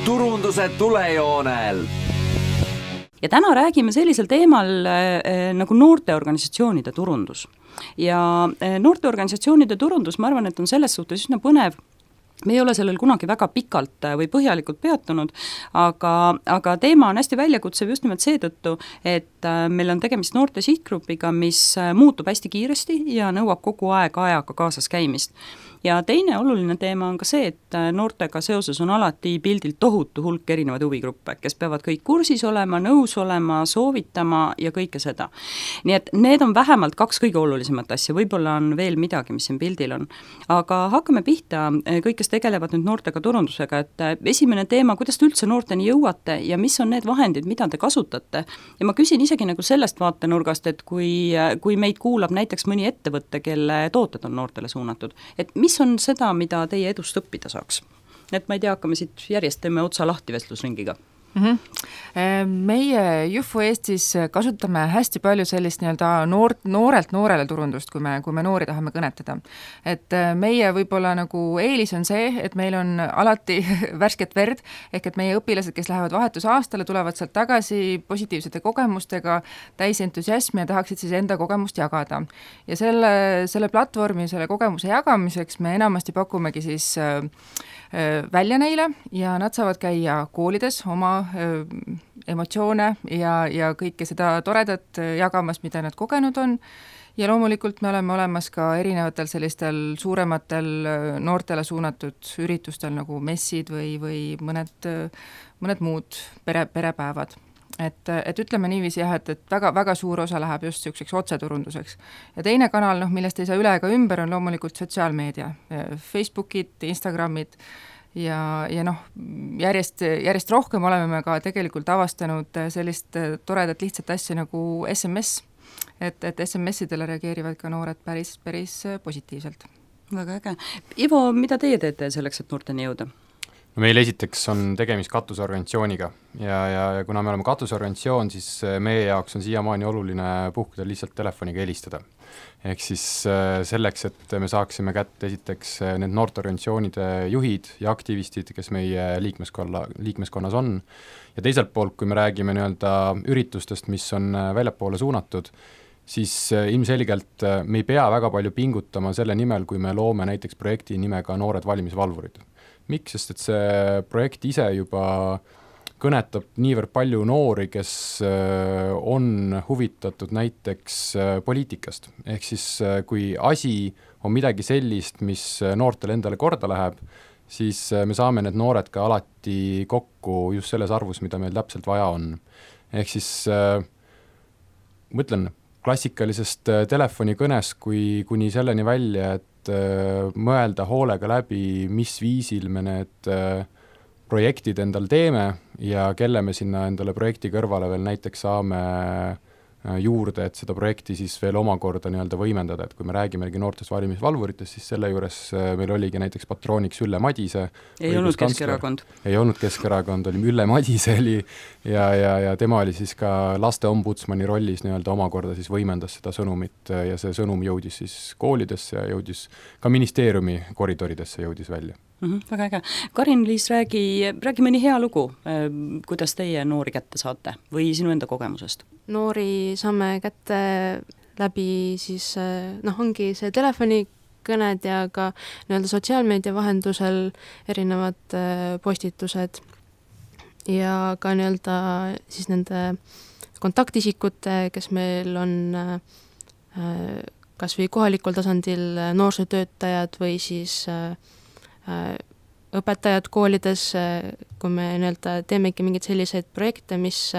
turunduse tulejoonel. Ja täna räägime sellisel teemal nagu noorteorganisatsioonide turundus. Ja noorteorganisatsioonide turundus, ma arvan, et on selles suhtes üsna põnev. Me ei ole sellel kunagi väga pikalt või põhjalikult peatunud, aga teema on hästi väljakutsev just nimelt seetõttu, et meil on tegemist noorte sihtgrupiga, mis muutub hästi kiiresti ja nõuab kogu aeg ajaga kaasas käimist. Ja teine oluline teema on ka see, et noortega seoses on alati pildil tohutu hulk erinevaid huvigruppe, kes peavad kõik kursis olema, nõus olema, soovitama ja kõike seda. Nii et need on vähemalt 2 kõige olulisemat asja, võib-olla on veel midagi, mis siin pildil on. Aga hakkame pihta, kõik, kes tegelevad nüüd noortega turundusega, et esimene teema, kuidas te üldse noorteni jõuate ja mis on need vahendid, mida te kasutate. Ja ma küsin isegi nagu sellest vaatenurgast, et kui meid kuulab näiteks mõni ettevõtte, kelle tooted on noortele suunatud, et mis on seda, mida teie edust õppida saaks? Et ma ei tea, hakkame siit järjest teeme otsa lahti vestlusringiga. Meie Jufu Eestis kasutame hästi palju sellist noorelt noorele turundust, kui me noori tahame kõnetada. Et meie võib-olla nagu eelis on see, et meil on alati värsket verd, ehk et meie õpilased, kes lähevad vahetusaastale, tulevad sealt tagasi positiivsete kogemustega, täis entusiasmi ja tahaksid siis enda kogemust jagada. Ja selle platvormi, selle kogemuse jagamiseks me enamasti pakumegi siis välja neile ja nad saavad käia koolides oma emotsioone ja kõike seda toredat jagamas, mida nad kogenud on. Ja loomulikult me oleme olemas ka erinevatel sellistel suurematel noortele suunatud üritustel nagu messid või mõned muud perepäevad. Et ütleme niiviisi jah, et väga suur osa läheb just selliseks otseturunduseks. Ja teine kanal, millest ei saa üle ega ümber, on loomulikult sotsiaalmeedia, Facebookid, Instagramid ja järjest rohkem oleme me ka tegelikult avastanud sellist toredat lihtsat asja nagu SMS, et SMS-idele reageerivad ka noored päris positiivselt. Väga äge. Ivo, mida teie teete selleks, et noorteni jõuda? Meil esiteks on tegemist katusorganisatsiooniga ja kuna me oleme katusorganisatsioon, siis meie jaoks on siiamaani oluline puhkuda lihtsalt telefoniga helistada. Ehk siis selleks, et me saaksime kätte esiteks need noorteorganisatsioonide juhid ja aktivistid, kes meie liikmeskonnas on. Ja teiselt poolt, kui me räägime üritustest, mis on väljapoole suunatud, siis ilmselgelt me ei pea väga palju pingutama selle nimel, kui me loome näiteks projekti nimega Noored valimisvalvurid. Miks? Sest et see projekt ise juba kõnetab niivõrd palju noori, kes on huvitatud näiteks poliitikast. Ehk siis kui asi on midagi sellist, mis noortele endale korda läheb, siis me saame need noored ka alati kokku just selles arvus, mida meil täpselt vaja on. Ehk siis mõtlen klassikalisest telefonikõnest kuni selleni välja, et mõelda hoolega läbi, mis viisil me need projektid endal teeme ja kelle me sinna endale projekti kõrvale veel näiteks saame juurde, et seda projekti siis veel omakorda võimendada, et kui me räägimegi noortest valimisvalvuritest, siis selle juures meil oligi näiteks patrooniks Ülle Madise. Ei olnud Keskerakond. Ei olnud Keskerakond, oli Ülle Madise ja tema oli siis ka laste ombudsmani rollis omakorda siis võimendas seda sõnumit ja see sõnum jõudis siis koolidesse ja jõudis ka ministeeriumi koridoridesse jõudis välja. Väga äge. Karin-Liis, räägi mõni hea lugu, kuidas teie noori kätte saate või sinu enda kogemusest? Noori saame kätte läbi siis, ongi see telefonikõned ja ka sotsiaalmeedia vahendusel erinevad postitused ja ka siis nende kontaktisikute, kes meil on kas või kohalikul tasandil noorsootöötajad või siis õpetajad koolides, kui me teemegi mingeid selliseid projekte, mis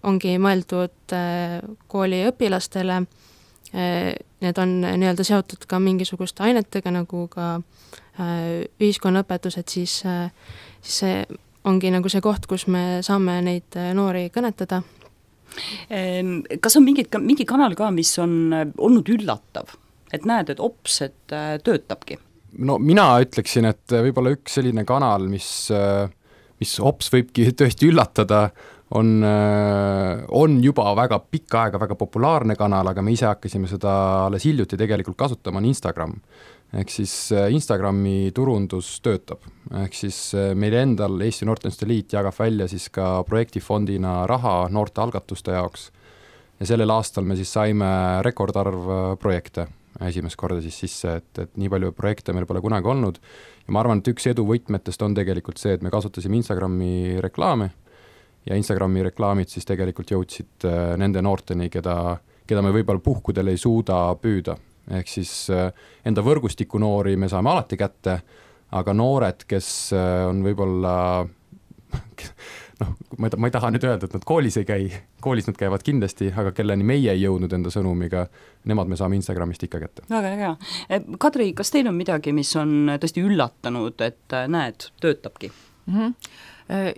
ongi mõeldud kooli õpilastele, need on seotud ka mingisuguste ainetega, nagu ka ühiskonnaõpetused, siis see ongi see koht, kus me saame neid noori kõnetada. Kas on mingi kanal ka, mis on olnud üllatav, et näed, et ops, et töötabki? No mina ütleksin, et võib-olla üks selline kanal, mis ops võibki tõesti üllatada, on juba väga pikka aega väga populaarne kanal, aga me ise hakkasime seda alles hiljuti tegelikult kasutama, on Instagram. ehk siis Instagrami turundus töötab, ehk siis meil endal Eesti Noorteühenduste Liit jagab välja siis ka projektifondina raha noorte algatuste jaoks ja sellel aastal me siis saime rekordarv projekte esimest korda siis sisse, et nii palju projekte meil pole kunagi olnud ja ma arvan, et üks edu võtmetest on tegelikult see, et me kasutasime Instagrami reklaame ja Instagrami reklaamid siis tegelikult jõudsid nende noorteni, keda me võib-olla puhkudel ei suuda püüda. Ehk siis enda võrgustiku noori me saame alati kätte, aga noored, kes on võib-olla, ma ei taha nüüd öelda, et nad koolis ei käi, koolis nad käivad kindlasti, aga kelleni meie ei jõudnud enda sõnumiga, nemad me saame Instagramist ikka kätte. Väga hea. Kadri, kas teil on midagi, mis on tõesti üllatanud, et näed, töötabki?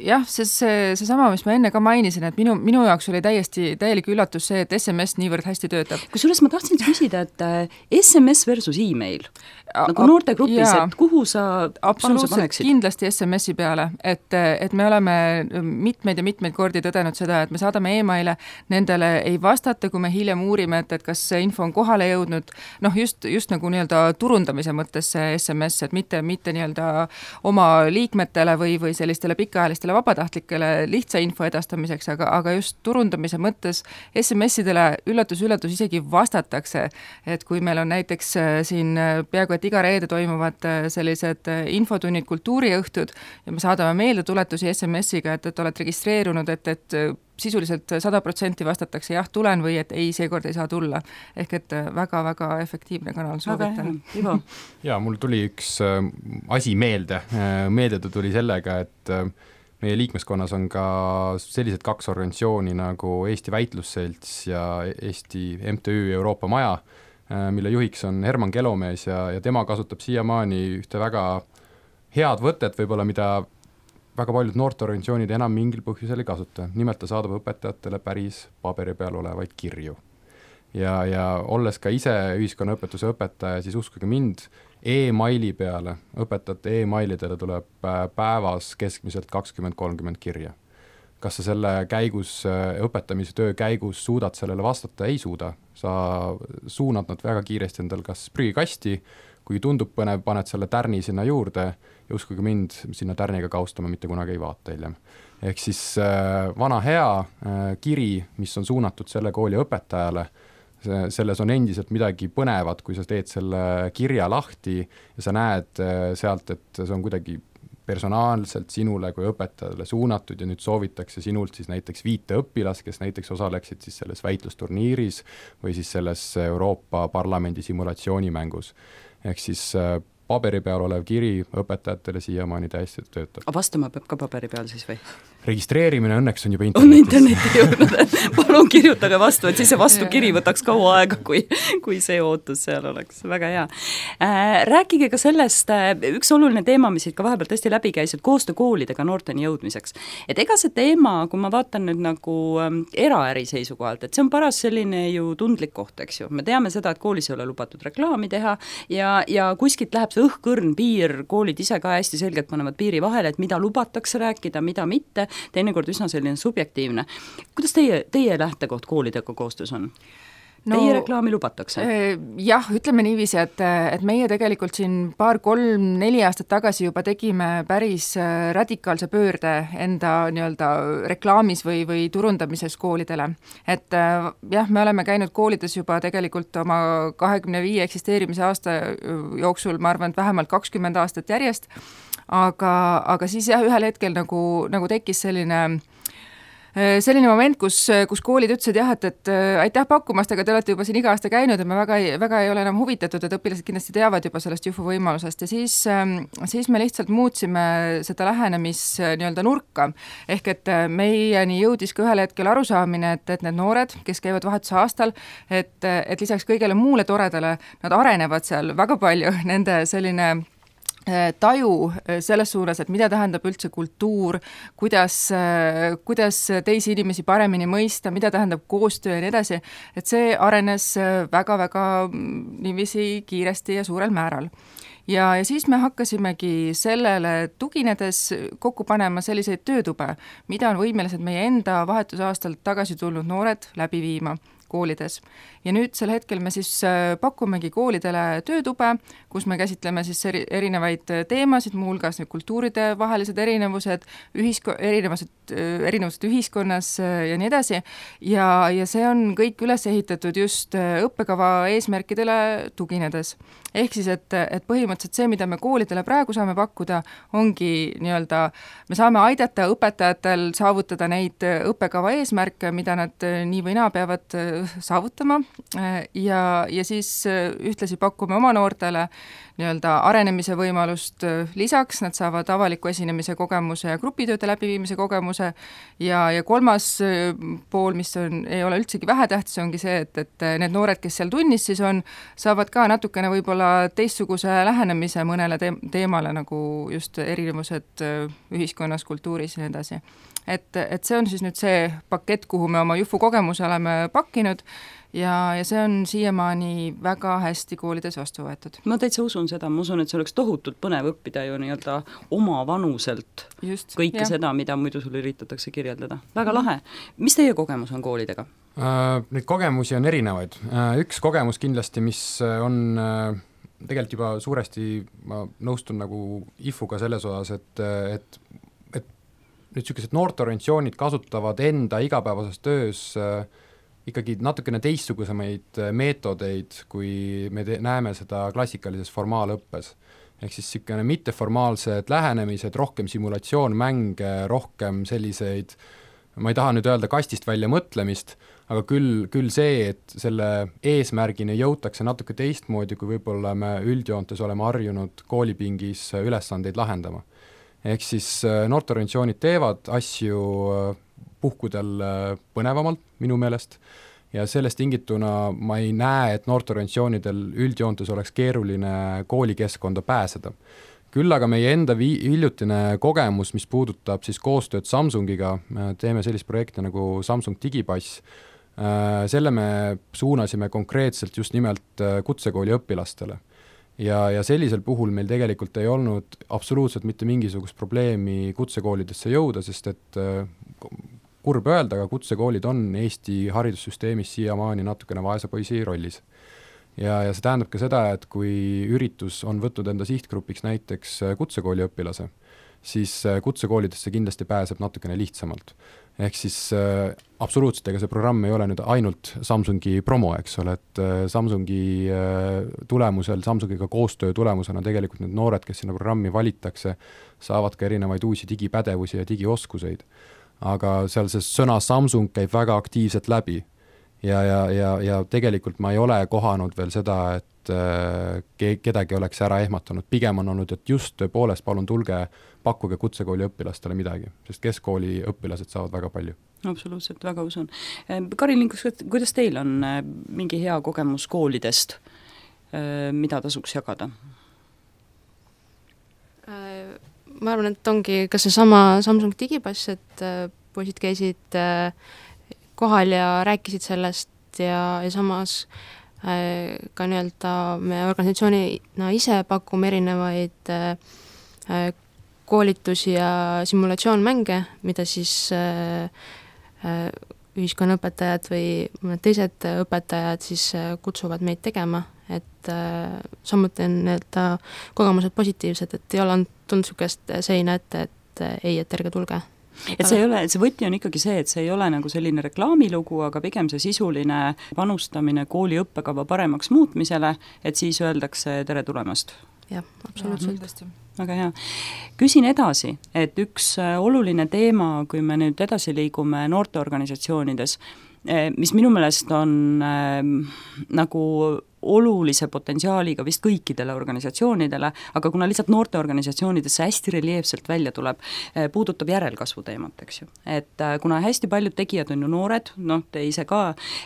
Jah, seesama, mis ma enne ka mainisin, et minu jaoks oli täielik üllatus see, et SMS niivõrd hästi töötab. Kusjuures ma tahtsin küsida, et SMS versus e-mail, nagu noortegrupis, et kuhu sa paneksid? Kindlasti SMS-i peale, et me oleme mitmeid ja mitmeid kordi tõdenud seda, et me saadame e-maile, nendele ei vastata, kui me hiljem uurime, et kas see info on kohale jõudnud, just nagu nii-öelda turundamise mõttes see SMS, et mitte nii-öelda oma liikmetele või sellistele pikaajalistele vabatahtlikele lihtsa info edastamiseks, aga just turundamise mõttes SMS-idele üllatus isegi vastatakse, et kui meil on näiteks siin peaaegu et iga reede toimuvad sellised infotunnid, kultuuriõhtud ja me saadame meeldetuletusi SMS-iga, et oled registreerunud, et sisuliselt 100% vastatakse jah, tulen või et ei, seekord ei saa tulla. Ehk et väga-väga efektiivne kanal, soovitan. Ja mul tuli üks asi meelde tuli sellega, et meie liikmeskonnas on ka sellised 2 organisatsiooni nagu Eesti Väitlusselts ja Eesti MTÜ Euroopa Maja, mille juhiks on Herman Kelomees ja tema kasutab siiamaani ühte väga head võtet, võib-olla mida väga paljud noorteorganisatsioonid enam mingil põhjusel ei kasuta. Nimelt ta saadab õpetajatele päris paberi peal olevaid kirju. Ja olles ka ise ühiskonnaõpetuse õpetaja, siis uskuge mind, e-maili peale, õpetajate e-mailidele tuleb päevas keskmiselt 20-30 kirja. Kas sa selle käigus, õpetamise töö käigus suudad sellele vastata? Ei suuda. Sa suunad nad väga kiiresti endal kas prügikasti, kui tundub põnev, paned selle tärni sinna juurde ja uskuge mind, sinna tärniga kaustama mitte kunagi ei vaata hiljem. Ehk siis vana hea kiri, mis on suunatud selle kooli õpetajale, selles on endiselt midagi põnevat, kui sa teed selle kirja lahti ja sa näed sealt, et see on kuidagi personaalselt sinule kui õpetajale suunatud ja nüüd soovitakse sinult siis näiteks 5 õpilast, kes näiteks osaleksid siis selles väitlusturniiris või siis selles Euroopa Parlamendi simulatsioonimängus. Ehk siis paberi peal olev kiri õpetajatele siiamaani täiesti töötab. Vastama peab ka paberi peal siis või? Registreerimine õnneks on juba interneti jõudnud. Palun kirjutage vastu, et siis see vastukiri võtaks kaua aega, kui see ootus seal oleks. Väga hea. Rääkige ka sellest, üks oluline teema, mis siit ka vahepeal tõesti läbi käis, et koostöö koolidega noorteni jõudmiseks. Et ega see teema, kui ma vaatan nüüd nagu eraäri seisukohalt, et see on paras selline ju tundlik koht, eks ju. Me teame seda, et koolis ei ole lubatud reklaami teha ja kuskilt läheb õhkõrn piir, koolid ise ka hästi selgelt panevad piiri vahele, et mida lubatakse rääkida, mida mitte, teinekord üsna selline subjektiivne. Kuidas teie lähtekoht koolidega koostöös on? Teie reklaami lubatakse? Jah, ütleme niiviisi, et meie tegelikult siin 2-3-4 aastat tagasi juba tegime päris radikaalse pöörde enda nii-öelda reklaamis või turundamises koolidele. Et jah, me oleme käinud koolides juba tegelikult oma 25 eksisteerimise aasta jooksul, ma arvan, et vähemalt 20 aastat järjest, aga siis jah, ühel hetkel nagu tekkis selline moment, kus koolid ütlesid jah, et aitäh pakkumast, aga te olete juba siin iga aasta käinud ja me väga ei ole enam huvitatud, et õpilased kindlasti teavad juba sellest Jufu võimalusest ja siis me lihtsalt muutsime seda lähenemis nii-öelda nurka. Ehk et meieni jõudis ka ühel hetkel arusaamine, et need noored, kes käivad vahetuse aastal, et lisaks kõigele muule toredale, nad arenevad seal väga palju, nende selline taju selles suunas, et mida tähendab üldse kultuur, kuidas teisi inimesi paremini mõista, mida tähendab koostöö ja nii edasi, et see arenes väga-väga niiviisi kiiresti ja suurel määral. Ja siis me hakkasimegi sellele tuginedes kokku panema selliseid töötube, mida on võimelised meie enda vahetusaastalt tagasi tulnud noored läbi viima. koolides. Ja nüüd sel hetkel me siis pakumegi koolidele töötube, kus me käsitleme siis erinevaid teemasid, muuhulgas kultuuride vahelised erinevused, erinevused ühiskonnas ja nii edasi, ja see on kõik üles ehitatud just õppekava eesmärkidele tuginedes. Ehk siis, et põhimõtteliselt see, mida me koolidele praegu saame pakkuda, ongi nii-öelda, me saame aidata õpetajatel saavutada neid õppekava eesmärke, mida nad nii või naa peavad saavutama, ja siis ühtlasi pakume oma noortele nii-öelda arenemise võimalust, lisaks nad saavad avaliku esinemise kogemuse ja grupitööde läbiviimise kogemuse ja kolmas pool, mis ei ole üldsegi vähetähtis, ongi see, et need noored, kes seal tunnis siis on, saavad ka natukene võib-olla teistsuguse lähenemise mõnele teemale, nagu just erinevused ühiskonnas, kultuuris ja nii edasi. Et see on siis nüüd see pakett, kuhu me oma Jufu kogemuse oleme pakkinud, ja see on siiamaani väga hästi koolides vastu võetud. Ma täitsa usun seda, ma usun, et see oleks tohutult põnev õppida ju nii-öelda oma vanuselt just, kõike seda, mida muidu sul üritatakse kirjeldada. Väga lahe. Mis teie kogemus on koolidega? Neid kogemusi on erinevaid. Üks kogemus kindlasti, mis on tegelikult juba suuresti, ma nõustun nagu IFU-ga selles osas, et nüüd sellised noorteorganisatsioonid kasutavad enda igapäevases töös ikkagi natukene teistsugusemaid meetodeid, kui me näeme seda klassikalises formaalõppes. Ehk siis selline mitteformaalsed lähenemised, rohkem simulatsioonmänge, rohkem selliseid, ma ei taha nüüd öelda kastist välja mõtlemist, aga küll see, et selle eesmärgini jõutakse natuke teistmoodi, kui võib-olla me üldjoontes oleme harjunud koolipingis ülesandeid lahendama. Ehk siis noorteorganisatsioonid teevad asju puhkudel põnevamalt minu meelest ja sellest tingituna ma ei näe, et noorteorganisatsioonidel üldjoontes oleks keeruline koolikeskkonda pääseda. Küll aga meie enda hiljutine kogemus, mis puudutab siis koostööd Samsungiga, teeme sellist projekti nagu Samsung Digipass, selle me suunasime konkreetselt just nimelt kutsekooli õpilastele. Ja sellisel puhul meil tegelikult ei olnud absoluutselt mitte mingisugust probleemi kutsekoolidesse jõuda, sest et kurb öelda, aga kutsekoolid on Eesti haridussüsteemis siiamaani natukene vaese poisi rollis. Ja see tähendab ka seda, et kui üritus on võtnud enda sihtgrupiks näiteks kutsekooli õpilase, siis kutsekoolidesse kindlasti pääseb natukene lihtsamalt. Ehk siis absoluutselt, ega see programm ei ole nüüd ainult Samsungi promo, eks ole, et Samsungi tulemusel, Samsungiga koostöö tulemusena tegelikult need noored, kes sinna programmi valitakse, saavad ka erinevaid uusi digipädevusi ja digioskuseid. Aga seal see sõna Samsung käib väga aktiivselt läbi ja tegelikult ma ei ole kohanud veel seda, et kedagi oleks ära ehmatanud. Pigem on olnud, et just tõepoolest palun tulge, pakkuge kutsekooli õpilastele midagi, sest keskkooli õpilased saavad väga palju. Absoluutselt, väga usun. Karin, kuidas teil on mingi hea kogemus koolidest, mida tasuks jagada? Ma arvan, et ongi ka see sama Samsung Digipass, et poisid käisid kohal ja rääkisid sellest ja samas ka nii-öelda me organisatsioonina ise pakume erinevaid koolitusi ja simulatsioonmänge, mida siis ühiskonnaõpetajad või mõned teised õpetajad siis kutsuvad meid tegema, et samuti on nii-öelda kogemused positiivsed, et ei ole tulnud niisugust seina ette, et ei, et ärge tulge. Et see võti on ikkagi see, et see ei ole nagu selline reklaamilugu, aga pigem see sisuline panustamine kooli õppekava paremaks muutmisele, et siis öeldakse tere tulemast. Jah, absoluutselt. Väga hea. Küsin edasi, et üks oluline teema, kui me nüüd edasi liigume noorteorganisatsioonides, mis minu meelest on nagu olulise potentsiaaliga vist kõikidele organisatsioonidele, aga kuna lihtsalt noorteorganisatsioonidesse hästi reljeefselt välja tuleb, puudutab järelkasvu teemat, eks ju. Et kuna hästi paljud tegijad on ju noored, te ise ka,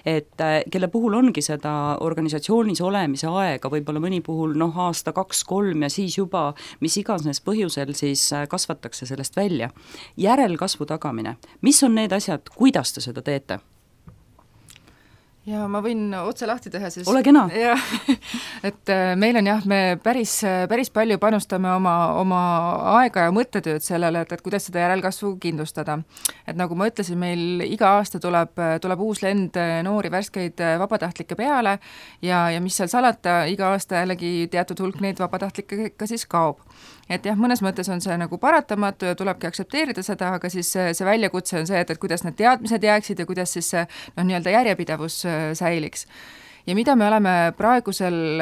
et kelle puhul ongi seda organisatsioonis olemise aega, võib-olla mõni puhul aasta, 2-3 ja siis juba, mis iganes põhjusel siis kasvatakse sellest välja. Järelkasvu tagamine, mis on need asjad, kuidas te seda teete? ja ma võin otse lahti teha, siis ole kena. Jah, et meil on jah, me päris palju panustame oma aega ja mõttetööd sellele, et kuidas seda järelkasvu kindlustada. Et nagu ma ütlesin, meil iga aasta tuleb uus lend noori värskeid vabatahtlikke peale ja mis seal salata, iga aasta jällegi teatud hulk neid vabatahtlikke ka siis kaob. Et jah, mõnes mõttes on see nagu paratamatu ja tulebki aktsepteerida seda, aga siis see väljakutse on see, et kuidas need teadmised jääksid ja kuidas siis see nii-öelda järjepidevus säiliks. Ja mida me oleme praeguseks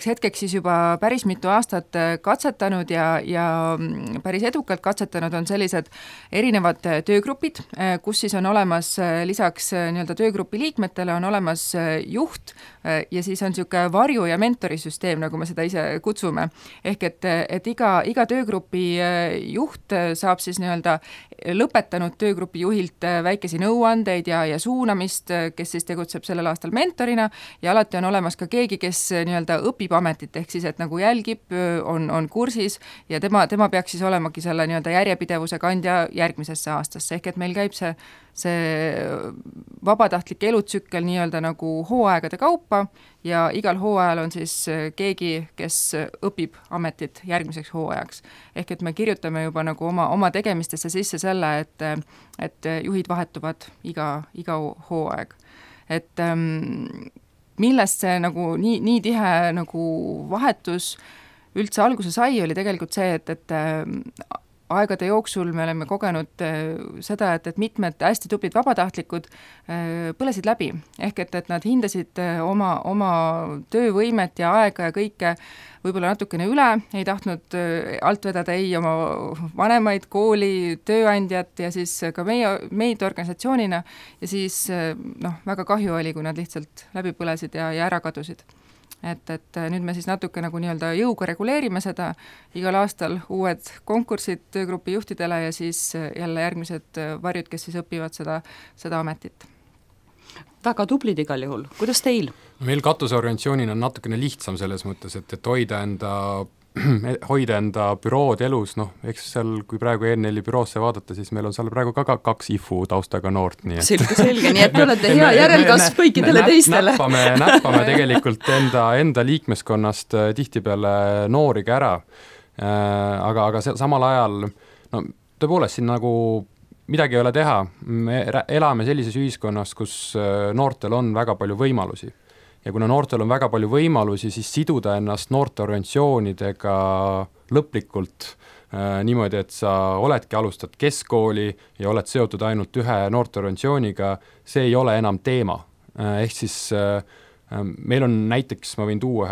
hetkeks siis juba päris mitu aastat katsetanud ja päris edukalt katsetanud on sellised erinevad töögrupid, kus siis on olemas lisaks nii-öelda töögrupi liikmetele on olemas juht ja siis on niisugune varju- ja mentorisüsteem, nagu me seda ise kutsume. Ehk et iga töögrupi juht saab siis nii-öelda lõpetanud töögrupi juhilt väikesi nõuandeid ja suunamist, kes siis tegutseb sellel aastal mentorina ja alati on olemas ka keegi, kes nii-öelda õpib ametit, ehk siis, et nagu jälgib, on kursis ja tema peaks siis olemagi selle nii-öelda järjepidevuse kandja järgmisesse aastasse, ehk et meil käib see vabatahtlik elutsükkel nii-öelda nagu hooaegade kaupa ja igal hooajal on siis keegi, kes õpib ametit järgmiseks hooajaks. Ehk et me kirjutame juba nagu oma tegemistesse sisse selle, et juhid vahetuvad iga hooaeg. Et millest see nagu nii tihe nagu vahetus üldse alguse sai, oli tegelikult see, et aegade jooksul me oleme kogenud seda, et mitmed hästi tublid vabatahtlikud põlesid läbi. Ehk et nad hindasid oma töövõimet ja aega ja kõike võib-olla natukene üle, ei tahtnud alt vedada oma vanemaid, kooli, tööandjat ja siis ka meid organisatsioonina ja siis väga kahju oli, kui nad lihtsalt läbi põlesid ja ära kadusid. Et nüüd me siis natuke nagu nii-öelda jõuga reguleerime seda, igal aastal uued konkursid töögrupi juhtidele ja siis jälle järgmised varjud, kes siis õpivad seda ametit. Väga tublid igal juhul, kuidas teil? Meil katuseorganisatsioonina on natukene lihtsam selles mõttes, et hoida enda bürood elus, eks seal, kui praegu ENL-i büroosse vaadata, siis meil on seal praegu ka 2 IFU taustaga noort. Nii et selge, nii et te olete hea järelkasv kõikidele teistele. Näppame tegelikult enda liikmeskonnast tihtipeale noori ka ära, aga samal ajal, tõepoolest siin nagu midagi ei ole teha, me elame sellises ühiskonnas, kus noortel on väga palju võimalusi. Ja kuna noortel on väga palju võimalusi, siis siduda ennast noorteorganisatsioonidega lõplikult niimoodi, et sa alustad keskkooli ja oled seotud ainult ühe noorteorganisatsiooniga, see ei ole enam teema. Ehk siis meil on näiteks, ma võin tuua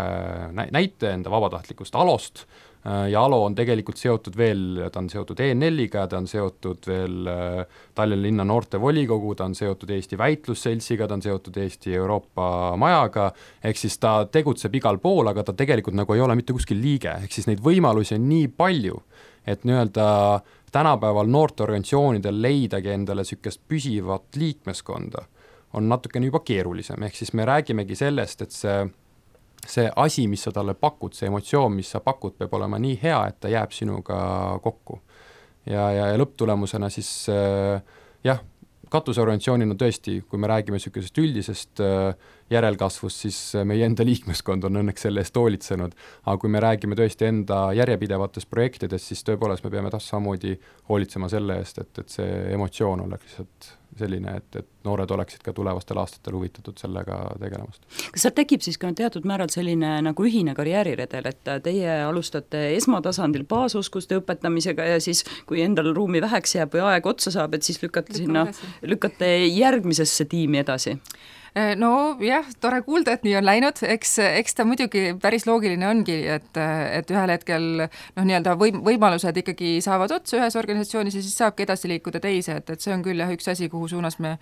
näite enda vabatahtlikust Alost, ja Alo on tegelikult seotud veel, ta on seotud ENL-iga, ta on seotud veel Tallinna linna noortevolikogu, ta on seotud Eesti Väitlusseltsiga, ta on seotud Eesti Euroopa majaga, ehk siis ta tegutseb igal pool, aga ta tegelikult nagu ei ole mitte kuskil liige, ehk siis neid võimalusi on nii palju, et nii-öelda tänapäeval noorteorganisatsioonidel leidagi endale sükest püsivat liikmeskonda on natukene juba keerulisem, ehk siis me räägimegi sellest, et see asi, mis sa talle pakud, see emotsioon, mis sa pakud, peab olema nii hea, et ta jääb sinuga kokku. Ja lõpptulemusena siis katuseorganisatsioonina tõesti, kui me räägime sükesest üldisest järelkasvust, siis meie enda liikmeskond on õnneks selle eest hoolitsenud, aga kui me räägime tõesti enda järjepidevatest projektidest, siis tõepoolest me peame samamoodi hoolitsema selle eest, et see emotsioon oleks lihtsalt selline, et noored oleksid ka tulevastel aastatel huvitatud sellega tegelemast. Kas seal tekib siis ka teatud määral selline nagu ühine karjääriredel, et teie alustate esmatasandil baasoskuste õpetamisega ja siis, kui endal ruumi väheks jääb või aeg otsa saab, et siis lükkate järgmisesse tiimi edasi? No jah, tore kuulda, et nii on läinud, eks ta muidugi päris loogiline ongi, et ühel hetkel nii-öelda võimalused ikkagi saavad otsa ühes organisatsioonis ja siis saabki edasi liikuda teise, et see on küll jah üks asi, kuhu suunas me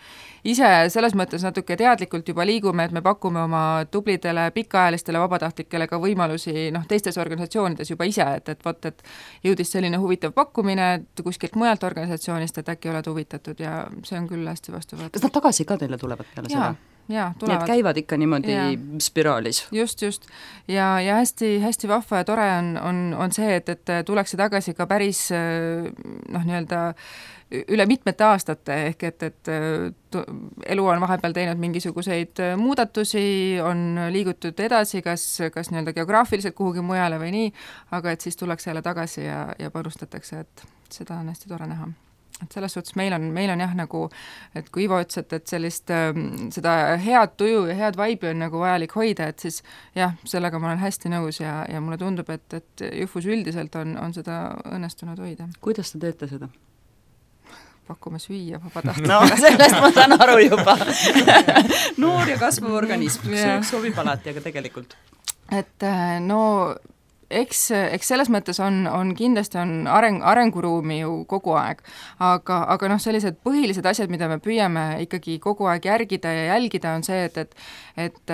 ise selles mõttes natuke teadlikult juba liigume, et me pakume oma tublidele pikaajalistele vabatahtlikele ka võimalusi teistes organisatsioonides juba ise, et jõudis selline huvitav pakkumine kuskilt mujalt organisatsioonist, et äkki oled huvitatud ja see on küll hästi vastuvõetud. Kas nad tagasi ka teile tulevad peale seda? jaa, nii tulevad. et käivad ikka niimoodi spiraalis. Just. ja hästi, hästi vahva ja tore on see, et tullakse tagasi ka päris nii-öelda üle mitmete aastate, ehk et elu on vahepeal teinud mingisuguseid muudatusi, on liigutud edasi, kas nii-öelda geograafiliselt kuhugi mujale või nii, aga et siis tullakse jälle tagasi ja panustatakse, et seda on hästi tore näha. Et selles suhtes meil on jah nagu, et kui Ivo ütles, et sellist, seda head tuju ja head vaibi on nagu vajalik hoida, et siis jah, sellega ma olen hästi nõus ja mulle tundub, et Jufus üldiselt on seda õnnestunud hoida. Kuidas te teete seda? Pakume süüa vabatahtlikult. No sellest ma saan aru juba. Noor ja kasvav organism, see sobib alati, aga tegelikult. Et no eks selles mõttes on kindlasti on arenguruumi ju kogu aeg, aga noh, sellised põhilised asjad, mida me püüame ikkagi kogu aeg järgida ja jälgida, on see, et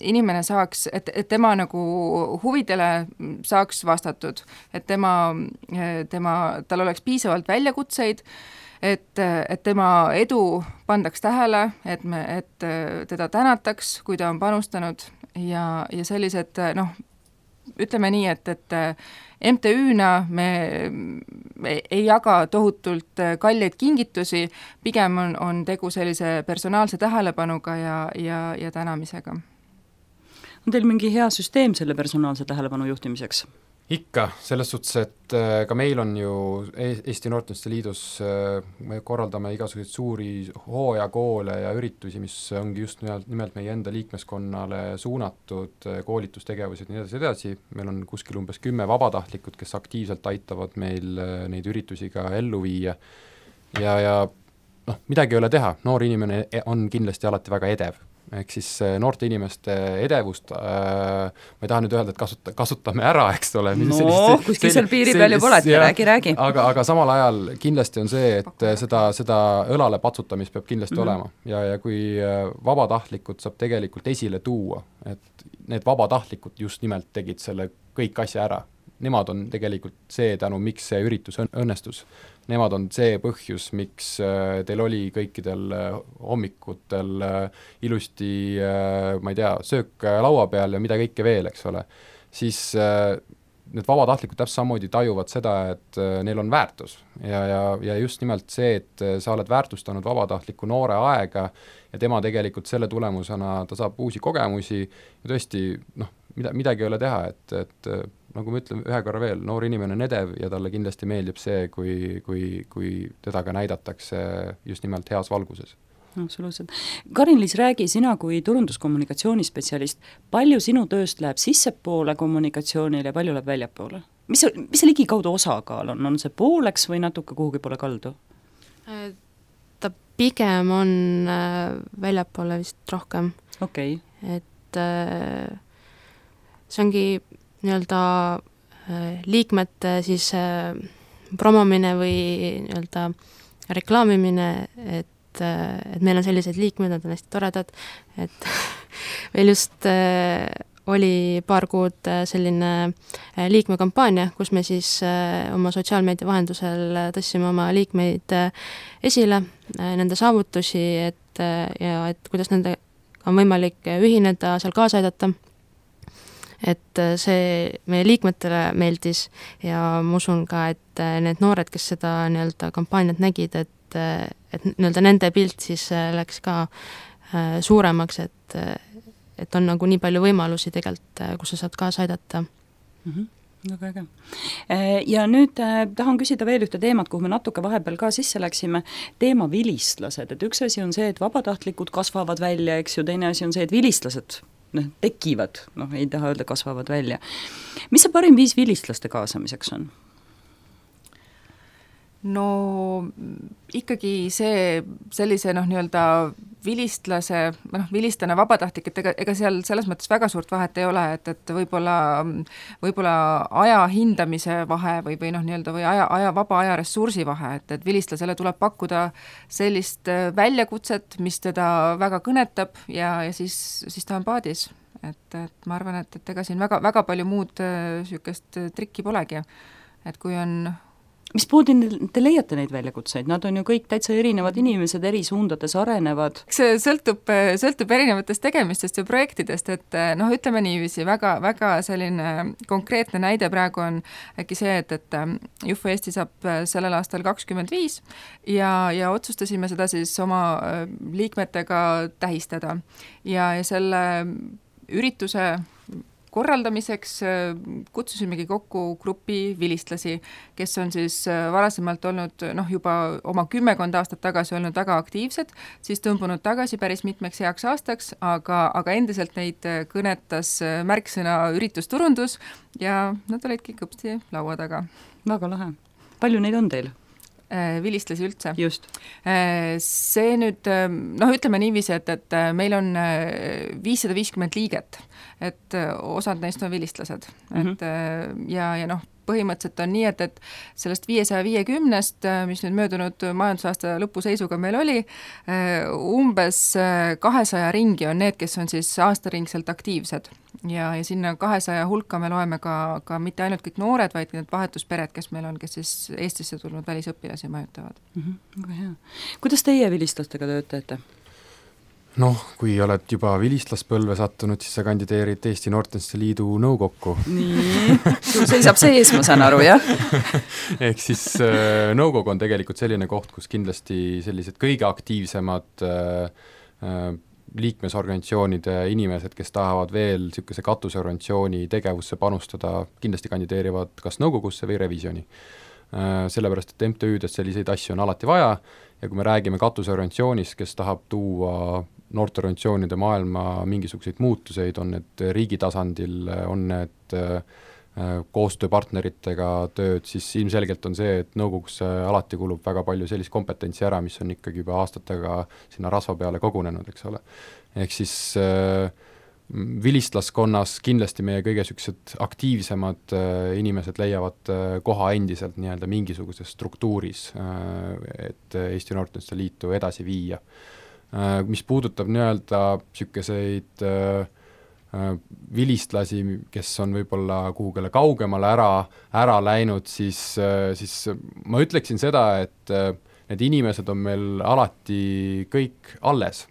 inimene saaks, et tema nagu huvidele saaks vastatud, et tal oleks piisavalt väljakutseid, et tema edu pandaks tähele, et teda tänataks, kui ta on panustanud ja sellised noh, ütleme nii, et MTÜ-na me ei jaga tohutult kalleid kingitusi, pigem on tegu sellise personaalse tähelepanuga ja tänamisega. On teil mingi hea süsteem selle personaalse tähelepanu juhtimiseks? Ikka, selles suhtes, et ka meil on ju Eesti Noorteühenduste Liidus, me korraldame igasuguseid suuri hooajakoole ja üritusi, mis ongi just nimelt meie enda liikmeskonnale suunatud koolitustegevused ja nii edasi, meil on kuskil umbes 10 vabatahtlikud, kes aktiivselt aitavad meil neid üritusi ka ellu viia ja noh, midagi ei ole teha, noor inimene on kindlasti alati väga edev. Ehk siis noorte inimeste edevust, ma ei taha nüüd öelda, et kasutame ära, eks ole. Kuskil seal piiri peal juba olete, räägi. Aga samal ajal kindlasti on see, et seda õlale patsutamist peab kindlasti olema ja kui vabatahtlikud saab tegelikult esile tuua, et need vabatahtlikud just nimelt tegid selle kõik asja ära. Nemad on tegelikult see tänu, miks see üritus õnnestus. Nemad on see põhjus, miks teil oli kõikidel hommikutel ilusti, ma ei tea, söök laua peal ja mida kõike veel, eks ole. Siis need vabatahtlikud täpselt samamoodi tajuvad seda, et neil on väärtus ja just nimelt see, et sa oled väärtustanud vabatahtliku noore aega ja tema tegelikult selle tulemusena ta saab uusi kogemusi ja tõesti, noh, midagi ei ole teha, et nagu ma ütlen ühe korra veel, noor inimene on edev ja talle kindlasti meeldib see, kui teda ka näidatakse just nimelt heas valguses. Absoluutselt. Karin-Liis, räägi sina kui turunduskommunikatsioonispetsialist, palju sinu tööst läheb sissepoole kommunikatsioonile ja palju läheb väljapoole? Mis see ligikaudu osakaal on? On see pooleks või natuke kuhugi poole kaldu? Ta pigem on väljapoole vist rohkem. Okay. Et see ongi nii-öelda liikmete siis promomine või nii-öelda reklaamimine, et meil on sellised liikmed, nad on hästi toredad, et meil just oli paar kuud selline liikmekampaania, kus me siis oma sotsiaalmeedia vahendusel tõstsime oma liikmeid esile, nende saavutusi, et kuidas nende on võimalik ühineda, seal kaasa aidata. Et see meie liikmetele meeldis ja ma usun ka, et need noored, kes seda nii-öelda kampaaniat nägid, et nii-öelda nende pilt siis läks ka suuremaks, et on nagu nii palju võimalusi tegelikult, kus sa saad kaasa aidata. Väga äge. Ja nüüd tahan küsida veel ühte teemat, kuhu me natuke vahepeal ka sisse läksime, teema vilistlased, et üks asi on see, et vabatahtlikud kasvavad välja, eks ju, teine asi on see, et vilistlased tekivad, ei taha öelda, kasvavad välja. Mis see parim viis vilistlaste kaasamiseks on? No ikkagi see sellise nii-öelda vilistane vabatahtlik, et ega seal selles mõttes väga suurt vahet ei ole, et võib-olla aja hindamise vahe või nii-öelda või vaba aja ressursi vahe, et vilistlasele tuleb pakkuda sellist väljakutset, mis teda väga kõnetab ja siis ta on paadis. Et ma arvan, et ega siin väga palju muud sükest trikki polegi, et kui on mismoodi te leiate neid väljakutseid, nad on ju kõik täitsa erinevad inimesed, eri suundades arenevad. See sõltub erinevatest tegemistest ja projektidest, et ütleme niiviisi, väga selline konkreetne näide praegu on äkki see, et Jufu Eesti saab sellel aastal 25 ja otsustasime seda siis oma liikmetega tähistada ja selle ürituse korraldamiseks kutsusimegi kokku grupi vilistlasi, kes on siis varasemalt olnud juba oma 10 aastat tagasi olnud väga aktiivsed, siis tõmbunud tagasi päris mitmeks heaks aastaks, aga endiselt neid kõnetas märksõna üritusturundus ja nad olidki kõpsti laua taga. Väga lahe. Palju neid on teil? Vilistlasi üldse. Just. See nüüd, ütleme niiviisi, et meil on 550 liiget, et osad neist on vilistlased. Et, ja põhimõtteliselt on nii, et sellest 550-st, mis nüüd möödunud majandusaasta lõpuseisuga meil oli, umbes 200 ringi on need, kes on siis aastaringselt aktiivsed. Ja sinna 200 hulka me loeme ka mitte ainult kõik noored, vaid need vahetuspered, kes meil on, kes siis Eestisse tulnud välisõpilasi mõjutavad. Väga hea. Kuidas teie vilistlastega tööd teete? Kui oled juba vilistlaspõlve sattunud, siis sa kandideerid Eesti Noorteühenduste Liidu nõukokku. Nii, sul seisab sees, ma saan aru, jah? Ehk siis nõukogu on tegelikult selline koht, kus kindlasti sellised kõige aktiivsemad liikmesorganisatsioonide inimesed, kes tahavad veel niisuguse katusorganisatsiooni tegevusse panustada, kindlasti kandideerivad kas nõukogusse või revisjoni. Sellepärast, et MTÜ-des selliseid asju on alati vaja ja kui me räägime katusorganisatsioonist, kes tahab tuua noorteorganisatsioonide maailma mingisuguseid muutuseid, on need riigi tasandil, on need koostööpartneritega tööd, siis ilmselgelt on see, et nõukogusse alati kulub väga palju sellist kompetentsi ära, mis on ikkagi juba aastatega sinna rasva peale kogunenud, eks ole. Ehk siis vilistlaskonnas kindlasti meie kõige süksed aktiivsemad inimesed leiavad koha endiselt nii-öelda mingisuguses struktuuris, et Eesti Noorteühenduste Liitu edasi viia. Mis puudutab nii-öelda sükeseid vilistlasi, kes on võib-olla kuhugile kaugemale ära läinud, siis ma ütleksin seda, et need inimesed on meil alati kõik alles.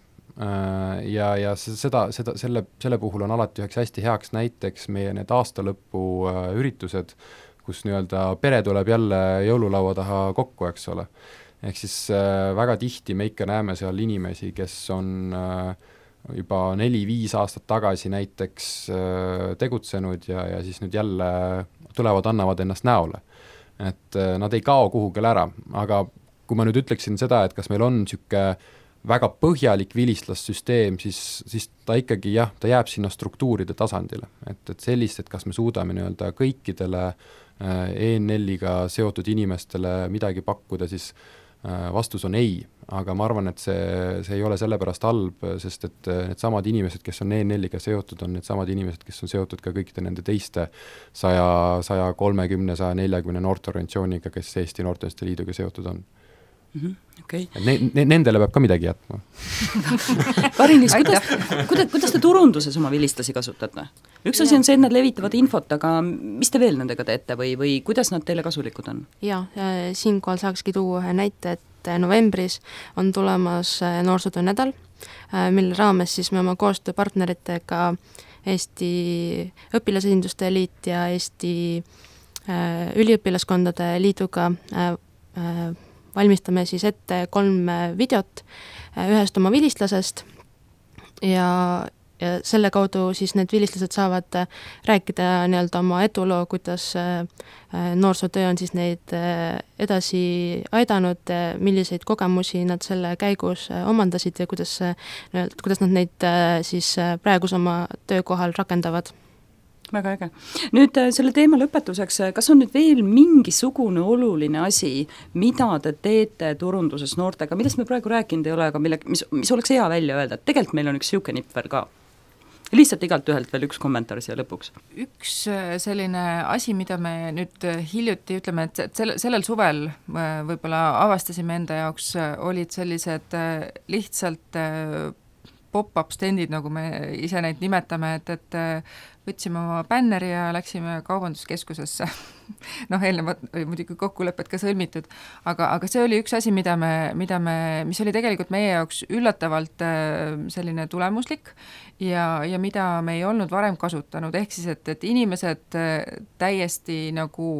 Ja selle puhul on alati üheks hästi heaks näiteks meie need aastalõpu üritused, kus nii-öelda pere tuleb jälle jõululaua taha kokku, eks ole. Ehk siis väga tihti me ikka näeme seal inimesi, kes on juba 4-5 aastat tagasi näiteks tegutsenud ja siis nüüd jälle tulevad, annavad ennast näole. Et nad ei kao kuhugile ära, aga kui ma nüüd ütleksin seda, et kas meil on niisugune väga põhjalik vilistlassüsteem, siis ta ikkagi ta jääb sinna struktuuride tasandile. Et sellist, et kas me suudame nii-öelda kõikidele ENL-iga seotud inimestele midagi pakkuda, siis vastus on ei, aga ma arvan, et see ei ole sellepärast halb, sest et need samad inimesed, kes on ENL-iga seotud, on need samad inimesed, kes on seotud ka kõikide nende teiste 130, 140 noorteorganisatsiooniga, kes Eesti Noorteühenduste Liiduga seotud on. Okay. Nendele peab ka midagi jätma. Karin-Liis, kuidas te turunduses oma vilistlasi kasutate? Üks asi on see, et nad levitavad infot, aga mis te veel nendega teete või kuidas nad teile kasulikud on? Jaa, siinkohal saakski tuua ühe näite, et novembris on tulemas noorsootöö nädal, mille raames siis me oma koostööpartneritega Eesti Õpilasesinduste Liit ja Eesti Üliõpilaskondade Liiduga valmistame siis ette 3 videot ühest oma vilistlasest ja selle kaudu siis need vilistlased saavad rääkida nii-öelda oma eduloo, kuidas noorsootöö on siis neid edasi aidanud, milliseid kogemusi nad selle käigus omandasid ja kuidas nad neid siis praegus oma töökohal rakendavad. Väga äge. Nüüd selle teema lõpetuseks, kas on nüüd veel mingisugune oluline asi, mida te teete turunduses noortega, millest me praegu rääkinud ei ole, aga mis oleks hea välja öelda, et tegelikult meil on üks siuke nipp veel ka. Lihtsalt igalt ühelt veel üks kommentaar siia lõpuks. Üks selline asi, mida me nüüd hiljuti ütleme, et sellel suvel võib-olla avastasime enda jaoks, olid sellised lihtsalt pop-up stendid, nagu me ise neid nimetame, et võtsime oma bänneri ja läksime kaubanduskeskusesse noh, eelnevad muidugi kokkulepped ka sõlmitud, aga see oli üks asi, mis oli tegelikult meie jaoks üllatavalt selline tulemuslik ja mida me ei olnud varem kasutanud, ehk siis, et inimesed täiesti nagu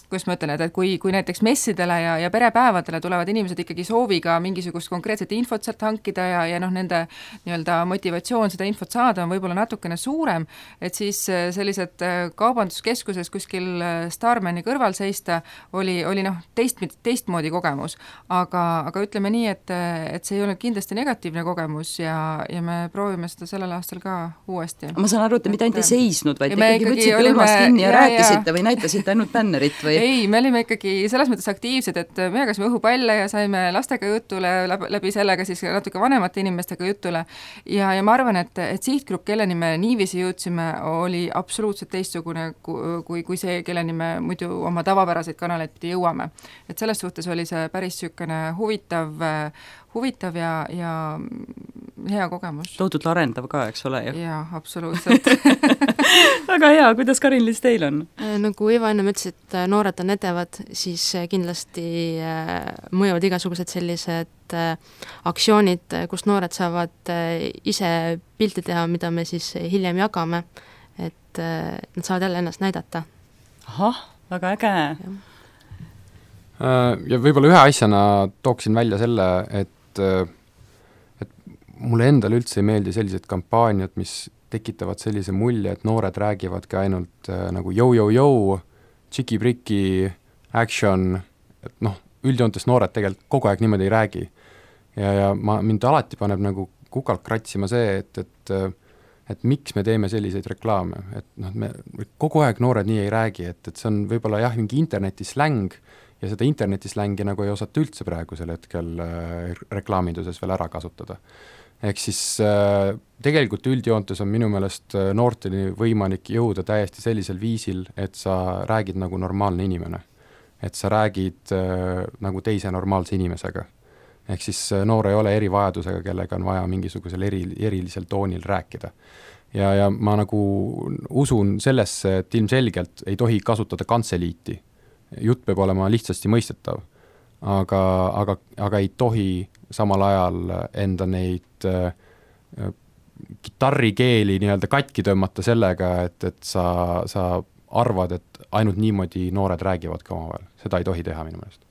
kuidas ma ütlen, et kui näiteks messidele ja perepäevadele tulevad inimesed ikkagi sooviga mingisugust konkreetset infot sealt hankida ja noh, nende nii-öelda motivatsioon seda infot saada on võib-olla natukene suurem, et siis sellised kaubanduskeskuses kuskil Starmani kõrval seista oli noh, teistmoodi kogemus. Aga ütleme nii, et see ei olnud kindlasti negatiivne kogemus ja me proovime seda sellel aastal ka uuesti. Ma saan aru, et te mitte ainult ei seisnud, vaid te ikkagi võtsite õlmast kinni ja rääkisite või näitasite ainult bännerit või? Ei, me olime ikkagi selles mõttes aktiivsed, et me jagasime õhupalle ja saime lastega jutule, läbi sellega siis natuke vanemate inimestega jutule ja ma arvan, et sihtgrupp, kelleni me niiviisi jõudsime, oli absoluutselt teistsugune kui see, kelleni me muidu oma tavapäraseid kanaleid pidi jõuame. Et selles suhtes oli see päris sükene huvitav ja hea kogemus. Tohutult arendav ka, eks ole? Jaa, absoluutselt. Väga hea, kuidas Karin-Liis teil on? Nagu Iva enne ütles, et noored on edevad, siis kindlasti mõjuvad igasugused sellised aktsioonid, kus noored saavad ise pilti teha, mida me siis hiljem jagame, et nad saavad jälle ennast näidata. Ahah, väga äge. Ja võib-olla ühe asjana tooksin välja selle, et mulle endale üldse ei meeldi sellised kampaaniad, mis tekitavad sellise mulje, et noored räägivadki ainult nagu jõu, tšiki-priki, action, et noh, üldjoontes noored tegelikult kogu aeg niimoodi ei räägi. Ja mind alati paneb nagu kukalt kratsima see, et miks me teeme selliseid reklaame, et noh, me kogu aeg noored nii ei räägi, et see on võib-olla jah, mingi internetisläng ja seda internetislängi nagu ei osata üldse praegusel hetkel reklaaminduses veel ära kasutada. Ehk siis tegelikult üldjoontes on minu meelest noorteni võimalik jõuda täiesti sellisel viisil, et sa räägid nagu normaalne inimene. Et sa räägid nagu teise normaalse inimesega. Ehk siis noor ei ole erivajadusega, kellega on vaja mingisugusel erilisel toonil rääkida. Ja ma nagu usun sellesse, et ilmselgelt ei tohi kasutada kantseliiti. Jutt peab olema lihtsasti mõistetav, aga ei tohi samal ajal enda neid kitarrikeeli nii-öelda katki tõmmata sellega, et sa arvad, et ainult niimoodi noored räägivad ka omavahel. Seda ei tohi teha minu meelest.